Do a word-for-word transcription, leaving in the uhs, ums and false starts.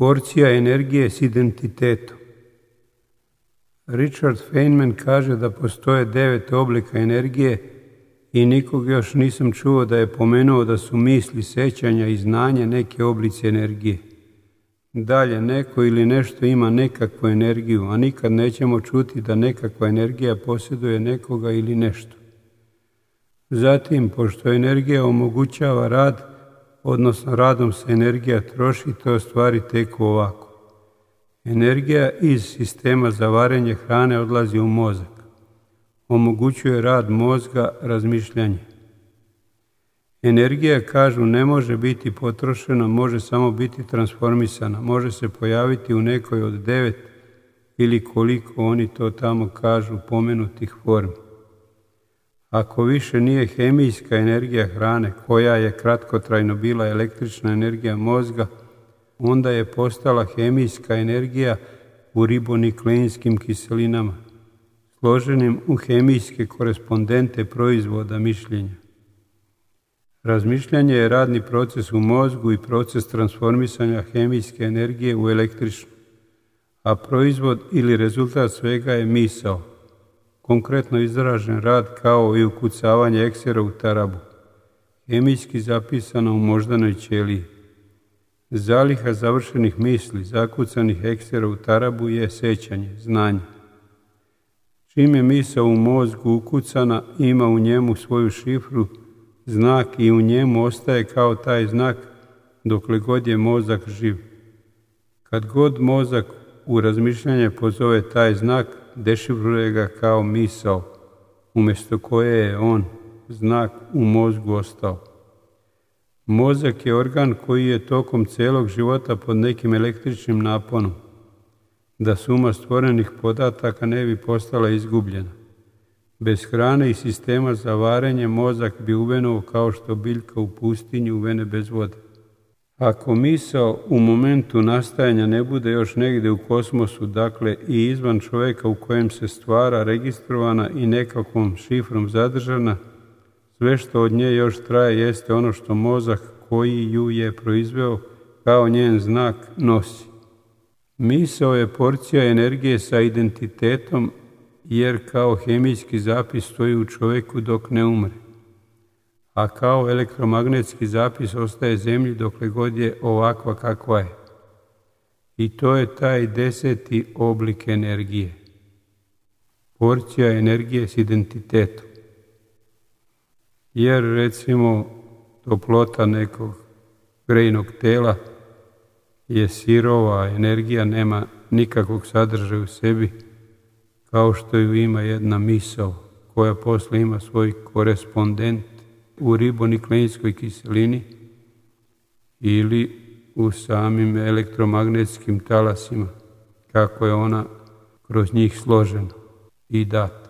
Porcija energije s identitetom. Richard Feynman kaže da postoje devet oblika energije i nikog još nisam čuo da je pomenuo da su misli, sećanja i znanje neke oblici energije. Dalje, neko ili nešto ima nekakvu energiju, a nikad nećemo čuti da nekakva energija posjeduje nekoga ili nešto. Zatim, pošto energija omogućava rad, odnosno radom se energija troši, to stvari teku ovako. Energija iz sistema za varenje hrane odlazi u mozak. Omogućuje rad mozga, razmišljanje. Energija, kažu, ne može biti potrošena, može samo biti transformisana, može se pojaviti u nekoj od devet ili koliko oni to tamo kažu pomenutih formi. Ako više nije hemijska energija hrane, koja je kratkotrajno bila električna energija mozga, onda je postala hemijska energija u ribonukleinskim kiselinama, složenim u hemijske korespondente proizvoda mišljenja. Razmišljanje je radni proces u mozgu i proces transformisanja hemijske energije u električnu, a proizvod ili rezultat svega je misao, konkretno izražen rad kao i ukucavanje eksera u tarabu, hemijski zapisano u moždanoj ćeliji. Zaliha završenih misli, zakucanih eksera u tarabu je sećanje, znanje. Čim je misao u mozgu ukucana, ima u njemu svoju šifru, znak i u njemu ostaje kao taj znak dokle god je mozak živ. Kad god mozak u razmišljanje pozove taj znak, dešifruje ga kao misao, umjesto koje je on, znak, u mozgu ostao. Mozak je organ koji je tokom celog života pod nekim električnim naponom, da suma stvorenih podataka ne bi postala izgubljena. Bez hrane i sistema za varenje mozak bi uvenuo kao što biljka u pustinji uvene bez vode. Ako misao u momentu nastajanja ne bude još negdje u kosmosu, dakle i izvan čovjeka u kojem se stvara, registrovana i nekakvom šifrom zadržana, sve što od nje još traje jeste ono što mozak koji ju je proizveo kao njen znak nosi. Misao je porcija energije sa identitetom, jer kao hemijski zapis stoji u čovjeku dok ne umre, a kao elektromagnetski zapis ostaje zemlji dokle god je ovakva kakva je. I to je taj deseti oblik energije. Porcija energije s identitetom. Jer recimo toplota nekog grejnog tela je sirova energija, nema nikakvog sadržaja u sebi, kao što ju ima jedna misao koja posle ima svoj korespondent u ribonukleinskoj kiselini ili u samim elektromagnetskim talasima, kako je ona kroz njih složena i data.